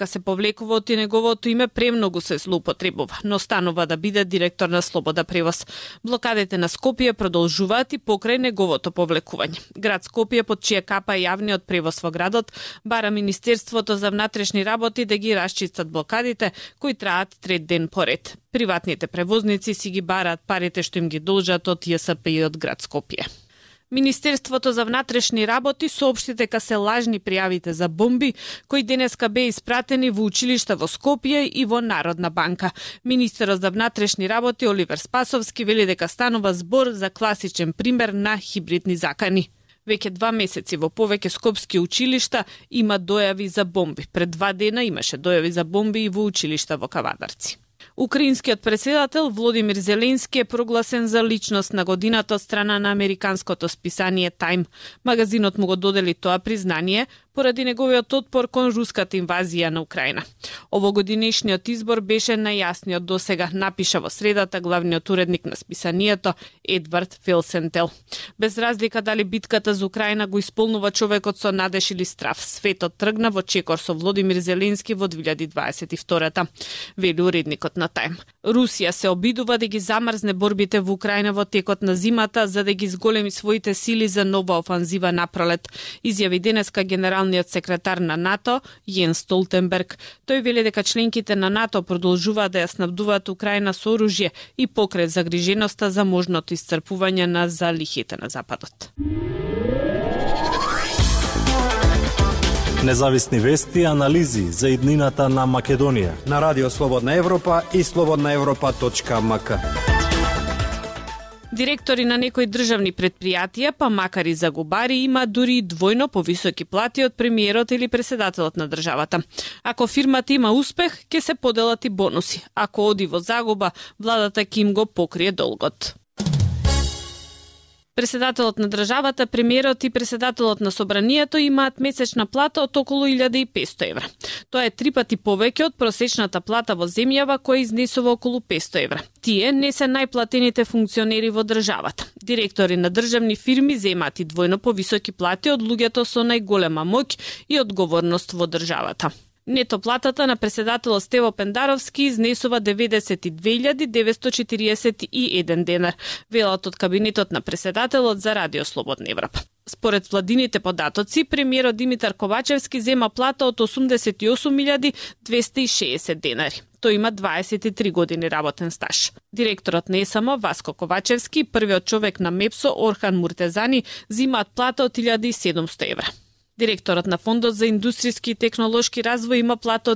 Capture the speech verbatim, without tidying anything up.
ка се повлекува од неговото име премногу се злоупотребува, но станува да биде директор на Слобода превоз. Блокадите на Скопје продолжуваат и покрај неговото повлекување. Град Скопје, под чија капа е јавниот превоз во градот, бара Министерството за внатрешни работи да ги расчистат блокадите кои траат трет ден поред. Приватните превозници си ги бараат парите што им ги должат од Ј С П и од град Скопје. Министерството за внатрешни работи соопшти дека се лажни пријавите за бомби кои денеска беа испратени во училишта во Скопје и во Народна банка. Министерот за внатрешни работи Оливер Спасовски вели дека станува збор за класичен пример на хибридни закани. Веќе два месеци во повеќе скопски училишта има дојави за бомби. Пред два дена имаше дојави за бомби и во училишта во Кавадарци. Украинскиот председател Володимир Зеленски е прогласен за личност на годината од страна на американското списание Time. Магазинот му го додели тоа признание поради неговиот отпор кон руската инвазија на Украина. Овогодинешниот избор беше најјасниот досега, напиша во средата главниот уредник на списанието Едвард Фелсентел. Без разлика дали битката за Украина го исполнува човекот со надеж или страв, светот тргна во чекор со Володимир Зеленски во две илјади дваесет и втора, вели уредникот на Time. Русија се обидува да ги замрзне борбите во Украина во текот на зимата за да ги зголеми своите сили за нова офанзива напролет, изјави денеска генералниот секретар на НАТО Јенс Столтенберг. Тој вели дека членките на НАТО продолжуваат да ја снабдуваат Украина со оружје и покрај загриженоста за можното исцрпување на залихите на Западот. Независни вести и анализи за иднината на Македонија на Радио Слободна Европа и слободна европа точка ем ка. Директори на некои државни предпријатија, па макар и загубари, има дури двојно повисоки плати од премиерот или председателот на државата. Ако фирмата има успех, ќе се поделат и бонуси. Ако оди во загуба, владата ќе им го покрие долгот. Председателот на државата, премиерот и председателот на собранието имаат месечна плата од околу илјада и песто евра. Тоа е три пати повеќе од просечната плата во земјава која изнесува околу песто евра. Тие не се најплатените функционери во државата. Директори на државни фирми земаат и двојно повисоки плати од луѓето со најголема моќ и одговорност во државата. Нето платата на председателот Стево Пендаровски изнесува деветдесет и две илјади деветсто четириесет и еден денар, велат од кабинетот на председателот за Радио Слободна Европа. Според владините податоци, премиерот Димитар Ковачевски зема плата од осумдесет и осум илјади двесте и шеесет денари. Тој има дваесет и три години работен стаж. Директорот на ЕСМ Васко Ковачевски, првиот човек на МЕПСО Орхан Муртезани земаат плата од илјада и седумсто евра. Директорот на Фондот за индустријски и технолошки развој има плата од